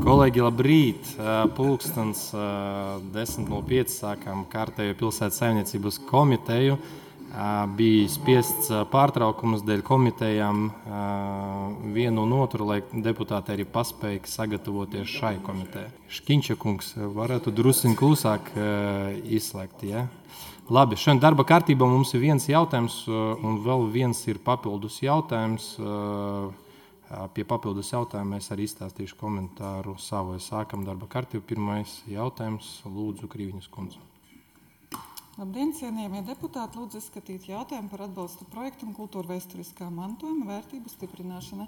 Kolēģi, labrīt! Pulkstens 10:05 sākām kārtējo pilsētas saimniecības komiteju. Bija spiests pārtraukums dēļ komitejām vienu un otru, lai deputāti arī paspēja sagatavoties šai komitejai. Škiņča kungs, varētu drusiņ klusāk izslēgt, ja? Labi, šodien darba kārtībā mums ir viens jautājums un vēl viens ir papildus jautājums. Pie papildus jautājuma es arī izstāstīšu komentāru savu. Sākam darba kārtību. Pirmais jautājums. Lūdzu, Krīviņas kundze. Labdien, cienījamie deputāti! Lūdzu izskatīt jautājumu par atbalstu projektam kultūra vēsturiskā mantojuma vērtību stiprināšana.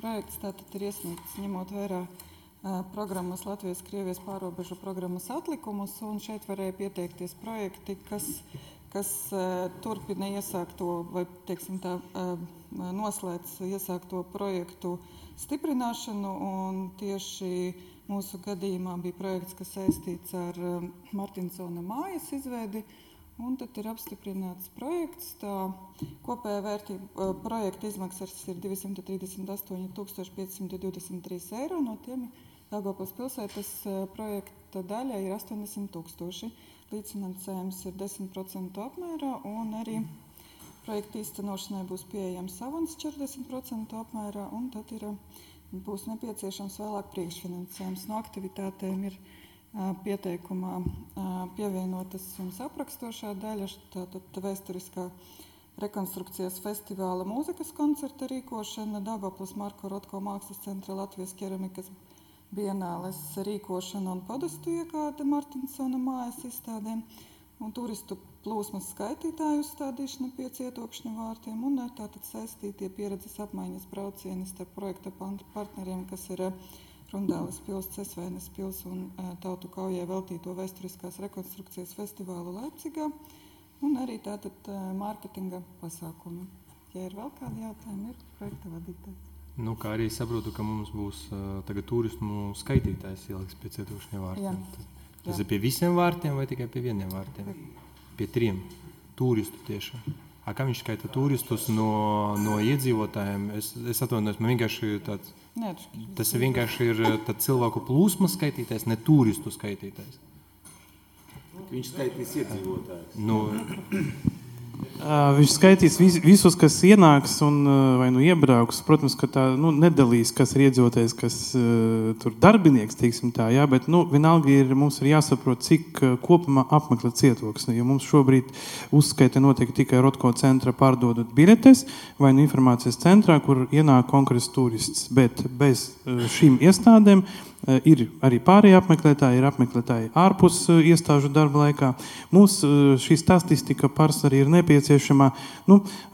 Projekts tātad ir iesniegts ņemot vērā programmas Latvijas-Krievijas pārobežu programmas atlikumus, un šeit varēja pieteikties projekti, kas turpina iesākto vai, teiksim tā, noslēdz iesākto projektu stiprināšanu, un tieši mūsu gadījumā bija projekts, kas saistīts ar Martinsona mājas izveidi, un tad ir apstiprināts projekts. Tā kopējā vērtība projekta izmaksas ir 238 523 eiro, no tiem Daugavpils pilsētas projekta daļa ir 80 000. Līdzfinansējums ir 10% apmērā, un arī projekta īstenošanai būs pieejams avans 40% apmērā, un tad būs nepieciešams vēlāk priekšfinansējums. No aktivitātēm ir pieteikumā pievienotas jums aprakstošā daļa, tātad vēsturiskā rekonstrukcijas festivāla mūzikas koncerta rīkošana, Daugavpils Marko Rotko mākslas centra Latvijas keramikas bienāles rīkošana un podastu iegāde Martinsona mājas izstādēm, un turistu plūsmas skaitītāju uzstādīšana pie Cietokšņa vārtiem, un tātad saistītie pieredzes apmaiņas braucieni starp projekta partneriem, kas ir Rundāles pils, Cesvēnes pils un Tautu kaujai veltīto vēsturiskās rekonstrukcijas festivālu Leipcigā, un arī tātad mārketinga pasākumi. Ja ir vēl kādi jautājumi, ir projekta vadītājs. Nu, kā arī saprotu, ka mums būs tagad turismu skaitītājs ieliks pie Cietokšņa vārtiem. Tas ir pie visiem vārtiem vai tikai pie vieniem vārtiem? Pie 3 turistu tieši. Kā viņš skaita turistus no iedzīvotājiem? Es atvainojos, man vienkārši tāds... Nē, tas vienkārši ir cilvēku plūsmas skaitītājs, ne turistu skaitītājs. Viņš skaitīs iedzīvotājus. Viņš skaitīs visus, kas ienāks un vai iebrauks. Protams, ka tā nedalīs, kas ir iedzīvotājs, kas tur darbinieks, teiksim tā, jā, bet vienalga mums ir jāsaprot, cik kopumā apmeklē Cietoksni, jo mums šobrīd uzskaita notiek tikai Rotko centra pārdodot biļetes vai informācijas centrā, kur ienāk konkrēts turists, bet bez šīm iestādēm ir arī pārējie apmeklētāji, ir apmeklētāji ārpus iestāžu darba laikā. Mums šī statistika pārsvarā ir nepieciešama,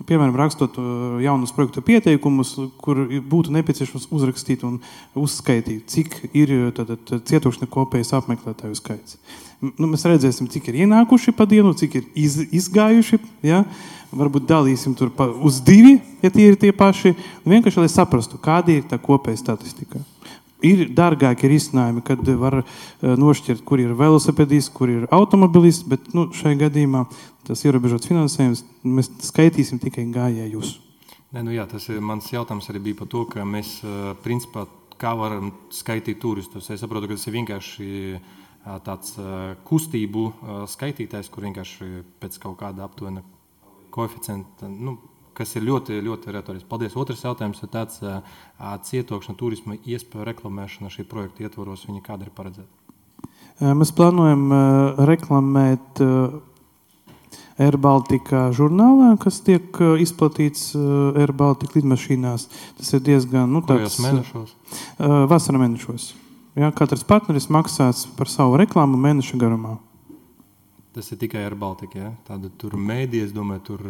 piemēram, rakstot jaunus projektu pieteikumus, kur būtu nepieciešams uzrakstīt un uzskaitīt, cik ir Cietokšņa kopējais apmeklētāju skaits. Mēs redzēsim, cik ir ienākuši pa dienu, cik ir izgājuši, ja? Varbūt dalīsim tur uz 2, ja tie ir tie paši, un vienkārši, lai saprastu, kāda ir tā kopēja statistika. Ir dārgāki risinājumi, kad var nošķirt, kur ir velosipedists, kur ir automobilists, bet šai gadījumā tas ierobežots finansējums, mēs skaitīsim tikai gājējus. Tas ir mans jautājums arī bija par to, ka mēs, principā, kā varam skaitīt turistus. Es saprotu, ka tas ir vienkārši tāds kustību skaitītājs, kur vienkārši pēc kaut kāda aptuvena koeficienta, kas ir ļoti, ļoti retorisks. Paldies. Otrs jautājums ir tāds Cietokšņa turisma iespēju reklamēšana šī projekta ietvaros, viņa kāda ir paredzēta? Mēs plānojam reklamēt Air Baltica žurnālā, kas tiek izplatīts Air Baltica lidmašīnās. Tas ir diezgan... Kojos mēnešos? Vasara mēnešos. Ja, katrs partneris maksās par savu reklāmu mēneša garumā. Tas ir tikai Air Baltica, ja? Tāda tur mēdī, es domāju, tur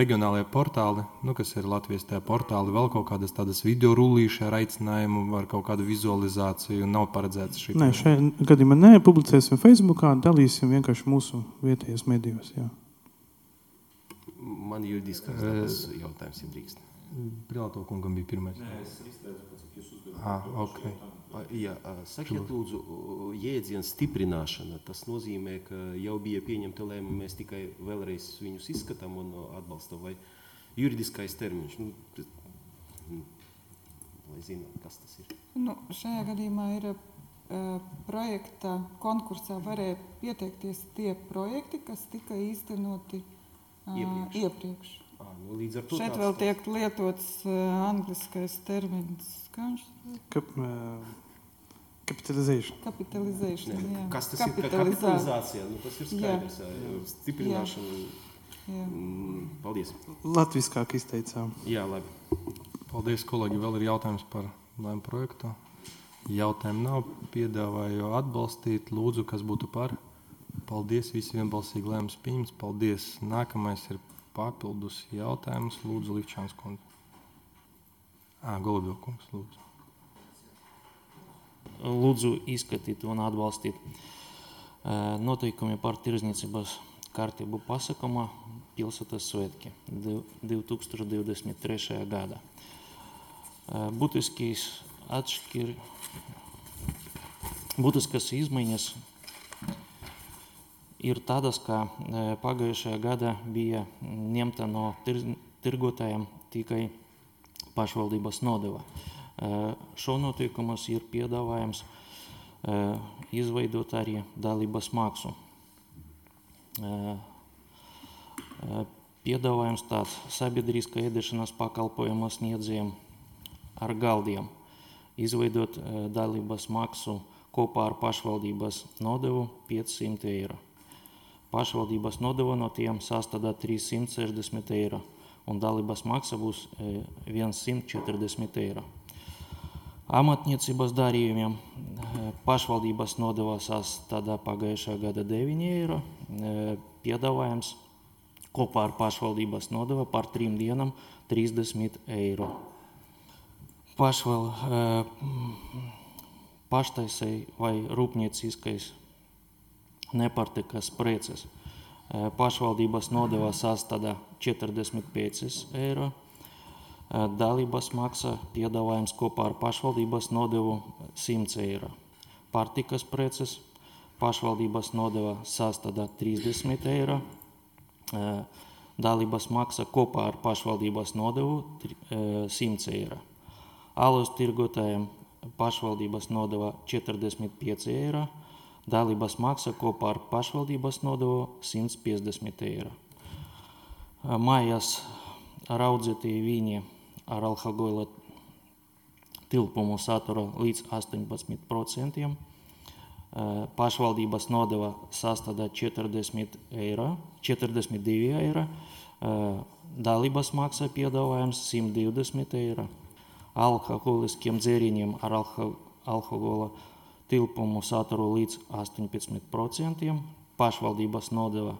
reģionālajie portāli, kas ir Latvijas tajā portāli, vēl kaut kādas tādas video rullīši ar aicinājumu, ar kaut kādu vizualizāciju, nav paredzēts šī. Nē, šajā gadījumā publicēsim Facebookā, dalīsim vienkārši mūsu vietējos medijos, jā. Man juridiskās jautājums ir drīkst. Privāto kungam bija pirmais. Nē, es izteicu, cik jūs uzdevāt. Okay. Sakiet, lūdzu, jēdziens stiprināšana, tas nozīmē, ka jau bija pieņemta lēmuma, mēs tikai vēlreiz viņus izskatām un atbalstam, vai juridiskais termiņš. lai zināt, kas tas ir? Šajā gadījumā ir projekta konkursā varēja pieteikties tie projekti, kas tika īstenoti iepriekš. Līdz ar to šeit vēl tiek lietots angliskais termins. Kapitalization. Kas tas ir? Kapitalizācija. Tas ir skaidrs. Stiprināšana. Paldies. Latviskāk izteicām. Jā, labi. Paldies, kolēģi. Vēl ir jautājums par lēmu projektu. Jautājumu nav. Piedāvāju atbalstīt. Lūdzu, kas būtu par. Paldies. Visi vienbalsīgi lēmums pieņemts. Paldies. Nākamais ir papildus jautājums. Lūdzu, Livčāns kundze. Golubjovkungs, lūdzu. Lūdzu izskatīt un atbalstīt noteikumi par tirdzniecības kārtību pasākumā pilsētas svētki 2023. gadā. Būtiskas izmaiņas ir tādas, ka pagājušajā gadā bija ņemta no tirgotājiem tikai pašvaldības nodeva. Šo notiekumus ir piedāvājums izveidot arī dalības maksu. Piedāvājums tāds sabiedriskā ēdiešanas pakalpojumu sniedzējiem ar galdiem. Izveidot dalības maksu kopā ar pašvaldības nodevu 500 eiro. Pašvaldības nodeva no tiem sastādā 360 eiro un dalības maksa būs 140 eiro. Amatniecības darījumiem pašvaldības nodeva sastādā pagājušā gada 9 eiro. Piedāvājums kopā ar pašvaldības nodevu par 3 dienām 30 eiro. Paštaisai vai rūpnieciskais nepārtikas preces. Pašvaldības nodeva sastādā 45 eiro. Dalības maksa piedāvājums kopā ar pašvaldības nodevu 100 eiro. Pārtikas preces pašvaldības nodeva sastādā 30 eiro. Dalības maksa kopā ar pašvaldības nodevu 100 eiro. Alus tirgotājiem pašvaldības nodeva 45 eiro. Dalības maksa kopā ar pašvaldības nodevu 150 eiro. Mājās raudzētie vīni ar alkohola tilpumu satura līdz 18%. Pašvaldības nodeva sastādā 42 eiro. Dalības maksa piedāvājums 120 eiro. Alkoholiskiem dzēriņiem ar alkohola tilpumu saturu līdz 18%. Pašvaldības nodeva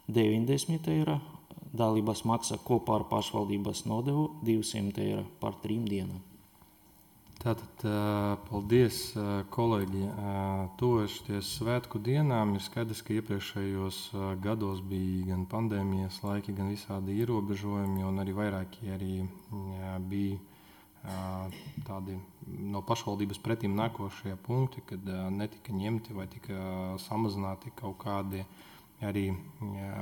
90 eiro. Dalības maksa kopā ar pašvaldības nodevu 200 eiro par 3 dienām. Tātad, paldies, kolēģi. Tuvojoties svētku dienām, ir skaidrs, ka iepriekšējos gados bija gan pandēmijas laiki, gan visādi ierobežojumi, un arī vairāki bija tādi no pašvaldības pretīm nākošie punkti, kad netika ņemti vai tika samazināti kaut kādi arī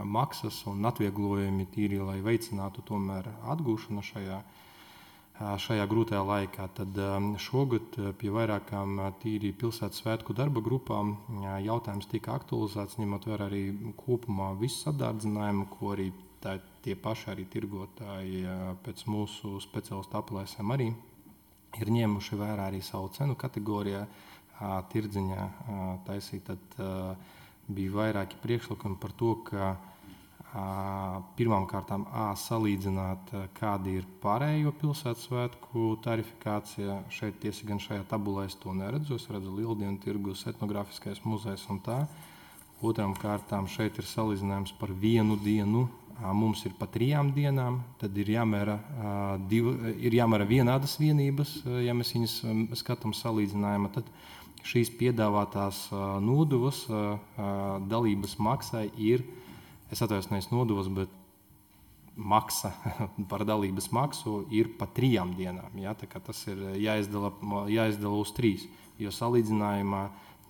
maksas un atvieglojumi tīri, lai veicinātu tomēr atgūšanu šajā grūtajā laikā. Tad šogad pie vairākām tīri pilsētas svētku darba grupām jautājums tika aktualizēts, ņemot vērā arī kopumā visu sadārdzinājumu, ko arī tie paši arī tirgotāji pēc mūsu speciālistu aplēsēm arī ir ņēmuši vērā arī savu cenu kategorijā tirdziņā taisīt. Tad bija vairāki priekšlikumi par to, ka pirmām kārtām salīdzināt, kāda ir pārējo pilsētas svētku tarifikācija. Šeit tiesa gan šajā tabulā es to neredzu. Es redzu Lieldienu tirgus, etnogrāfiskais muzejs un tā. Otrām kārtām šeit ir salīdzinājums par vienu dienu. Mums ir pa 3 dienām. Tad ir jāmēra vienādas vienības, ja mēs viņas skatām salīdzinājumā. Tad šīs piedāvātās nodevas dalības maksai ir, es atvainojos, nevis nodevas, bet maksa par dalības maksu ir pa 3 dienām. Ja? Tā kā tas ir jāizdala uz 3. Jo salīdzinājumā,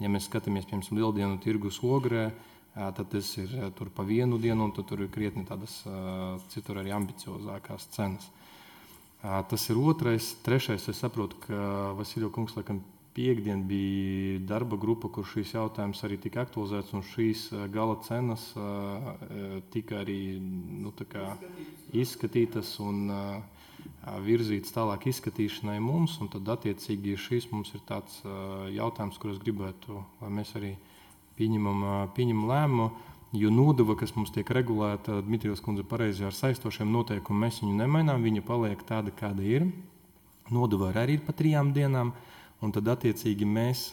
ja mēs skatāmies, piemēram, Lieldienu tirgus Ogrē, tad tas ir tur pa 1 dienu, un tur ir krietni tādas citur arī ambiciozākās cenas. Tas ir otrais. Trešais, es saprotu, ka Vasiljo kungs laikam piekdien bija darba grupa, kur šīs jautājums arī tika aktualizēts, un šīs gala cenas tika arī izskatītas un virzītas tālāk izskatīšanai mums, un tad attiecīgi šīs mums ir tāds jautājums, kur es gribētu, lai mēs arī pieņemam lēmumu, jo nodeva, kas mums tiek regulēta, Dmitrijos kundze pareizi ar saistošiem noteikumiem, mēs viņu nemainām, viņa paliek tāda, kāda ir. Nodeva arī ir pa 3 dienām, un tad attiecīgi mēs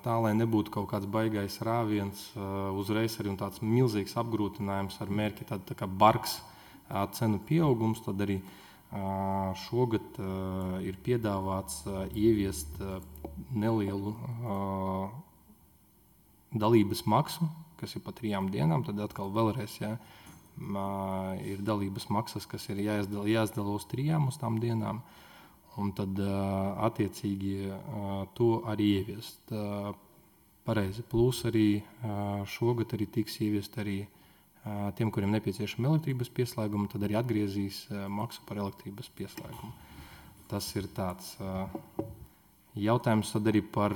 tā, lai nebūtu kaut kāds baigais rāviens, uzreiz arī un tāds milzīgs apgrūtinājums ar mērķi tā kā bargs cenu pieaugums, tad arī šogad ir piedāvāts ieviest nelielu dalības maksu, kas ir pa 3 dienām, tad atkal vēlreiz ir dalības maksas, kas ir jāizdala uz 3 uz tām dienām, un tad attiecīgi to arī ieviest. Pareizi. Plus arī šogad arī tiks ieviest arī tiem, kuriem nepieciešama elektrības pieslēguma, tad arī atgriezīs maksu par elektrības pieslēgumu. Tas ir tāds jautājums tad arī par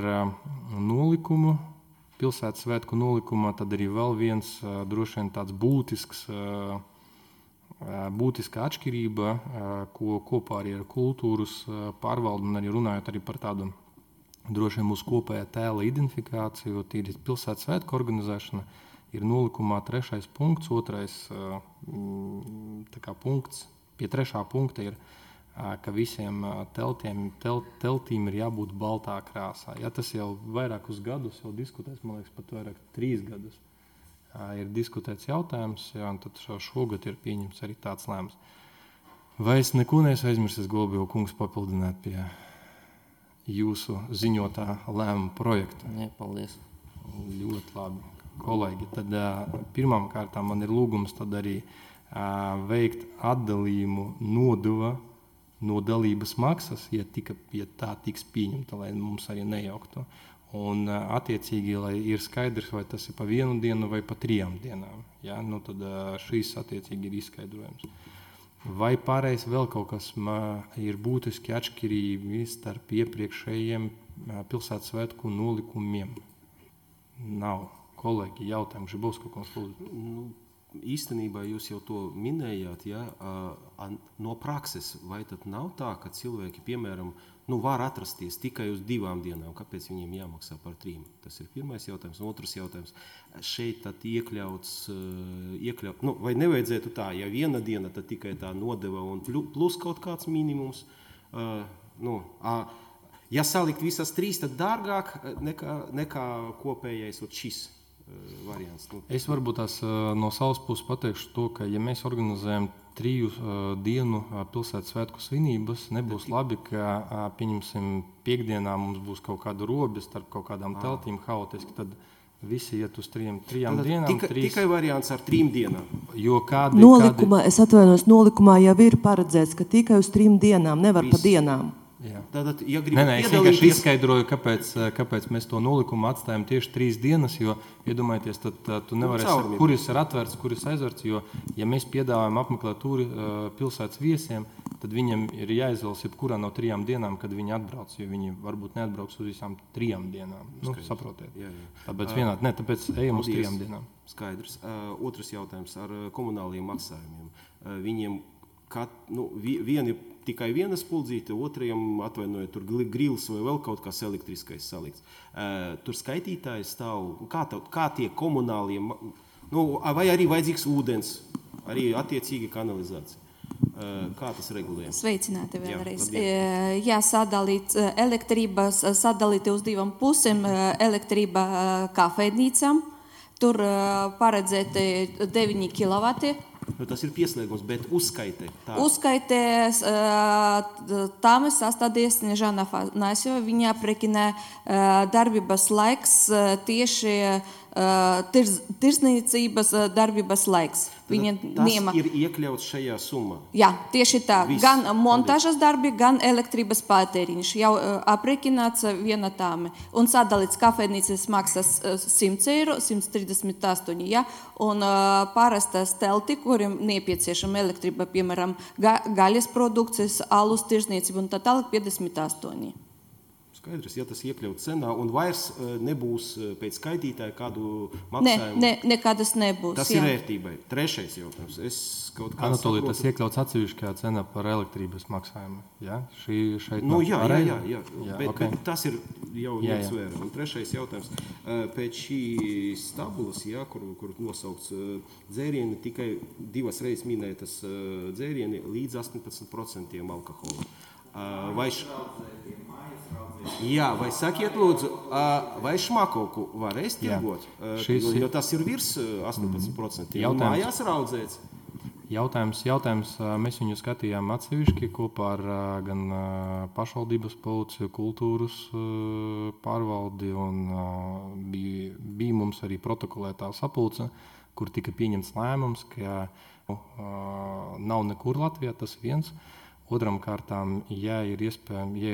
nolikumu. Pilsētas svētku nolikumā tad arī vēl viens droši vien tāds būtiska atšķirība, ko kopā arī ar kultūras pārvaldu un arī runājot arī par tādu droši vien mūsu kopējā tēla identifikāciju, tīri pilsētas svētku organizēšana, ir nolikumā 3. punkts, 2. punkts, pie 3. punkta ir, ka visiem teltīm ir jābūt baltā krāsā. Ja tas jau vairākus gadus jau diskutēts, man liekas, pat vairāk 3 gadus ir diskutēts jautājums, un tad šogad ir pieņemts arī tāds lēmums. Vai es neko neesmu aizmirsis, Golubjova kungs, papildināt pie jūsu ziņotā lēmuma projekta? Nē, paldies. Ļoti labi, kolēģi. Tad pirmām kārtām man ir lūgums tad arī veikt atdalījumu nodeva no dalības maksas, ja tā tiks pieņemta, lai mums arī nejauktu. Un attiecīgi, lai ir skaidrs, vai tas ir pa 1 dienu vai pa 3 dienām. Ja? Tad šīs attiecīgi ir izskaidrojums. Vai pārējais vēl kaut kas ir būtiski atšķirīgi starp iepriekšējiem pilsētas svētku nolikumiem? Nav. Kolēģi, jautājums, Žibovska kungs, lūdzu. Īstenībā jūs jau to minējāt, no prakses, vai tad nav tā, ka cilvēki, piemēram, var atrasties tikai uz 2 dienām, kāpēc viņiem jāmaksā par 3? Tas ir pirmais jautājums. Un otrs jautājums, šeit tad iekļauts, vai nevajadzētu tā, ja 1 diena, tad tikai tā nodeva un plus kaut kāds minimums, ja salikt visas 3, tad dārgāk nekā kopējais šis variants. Es varbūt tās no savas puses pateikšu to, ka ja mēs organizējam 3 dienu pilsētas svētku svinības, nebūs labi, ka pieņemsim piekdienā mums būs kaut kāda robe starp kaut kādām teltīm haotiski, tad visi iet uz 3 dienām. Tikai variants ar 3 dienām. Es atvainojos, nolikumā jau ir paredzēts, ka tikai uz 3 dienām, nevar pa dienām. Tātad, ja es vienkārši izskaidroju, kāpēc mēs to nolikumu atstājam tieši 3 dienas, jo, iedomājieties, tad tu nevarēsi, kuris ir atvērts, kuris aizvērts, jo, ja mēs piedāvājam apmeklēt turi pilsētas viesiem, tad viņiem ir jāizvēlas jebkurā no 3 dienām, kad viņi atbrauc, jo viņi varbūt neatbrauks uz visām 3 dienām. Saprotiet. Jā. Tāpēc ejam uz 3 dienām. Skaidrs. Otrs jautājums ar komunāliem maksājumiem. Viņiem vieni tikai viena spuldzīte, otrajam atvainojiet, tur grils vai vēl kaut kas elektriskais salikts. Tur skaitītājs stāv, kā tie komunālie, vai arī vajadzīgs ūdens, arī attiecīgi kanalizācija. Kā tas regulējams? Sveicināti vēlreiz. Sadalīt elektrības, sadalīt uz 2 pusēm, elektrība kafejnīcām, tur paredzēti 9 kilovati. Tas ir pieslēgums, bet uzskaitē. Uzskaitē tam sastādīja Snežana Afanasjeva. Viņa aprēķina darbības laiks tieši tirsniecības darbības laiks. Tas ir iekļauts šajā summā. Jā, tieši tā. Viss. Gan montāžas darbi, gan elektrības patēriņš jau aprēķināts vienatāmi. Un sadalīts kafejnīcas maksas 100 eiro, 138, ja? Un parastas telti, kuriem nepieciešama elektrība, piemēram, gaļas produkcijas, alus tirzniecība un tā tālāk 58. Skaidrs, ja tas iekļaut cenā un vairs nebūs pēc skaitītāja kādu maksājumu. Nekādas nebūs. Tas ir vērtībai. Trešais jautājums. Anatolija, tas iekļauts atsevišķajā cenā par elektrības maksājumu. Ja? Šeit jā. Bet tas ir jau ņemts vērā. Un trešais jautājums. Pēc šīs tabulas, kur nosaukts dzērieni, tikai 2 reizes minētas dzērieni līdz 18% alkohola. Vai sakiet lūdzu, vai šmakovku varēs tirgot? Jo tas ir virs 18%. Mājās raudzēts. Jautājums. Mēs viņu skatījām atsevišķi kopā ar gan pašvaldības policiju, kultūras pārvaldi un bija mums arī protokolētā sapulce, kur tika pieņemts lēmums, ka nav nekur Latvijā, tas viens. Otram kārtām, ja ir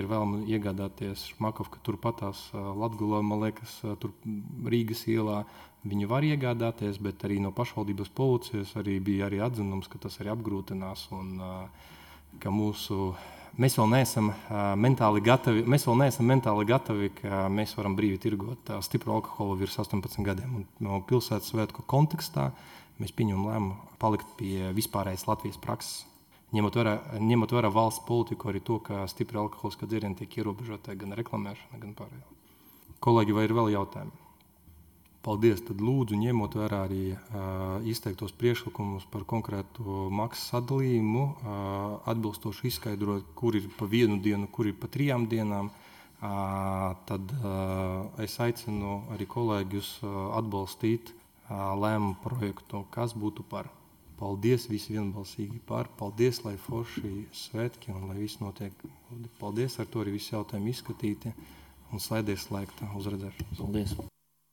vēlme iegādāties šmakovku turpatās Latgulā, man liekas, tur Rīgas ielā, viņi var iegādāties, bet arī no pašvaldības policijas arī bija arī atzinums, ka tas arī apgrūtinās un ka mēs vēl neesam mentāli gatavi, ka mēs varam brīvi tirgot stipru alkoholu virs 18 gadiem. Un no pilsētas svētku kontekstā mēs pieņemam lēmumu palikt pie vispārējas Latvijas prakses. Ņemot vērā valsts politiku, arī to, ka stipri alkoholiskā dzērieni tiek ierobežota gan reklamēšana, gan pārējā. Kolēģi, vai ir vēl jautājumi? Paldies. Tad lūdzu, ņemot vērā arī izteiktos priekšlikumus par konkrētu maksas sadalījumu, atbilstoši izskaidrot, kur ir pa 1 dienu, kur ir pa 3 dienām, tad es aicinu arī kolēģus atbalstīt lēmumu projektu, kas būtu par. Paldies visi vienbalsīgi par. Paldies, lai forši svētki un lai viss notiek. Paldies, ar to arī visi jautājumi izskatīti un slēdies slēgta uz redzēšanos. Paldies.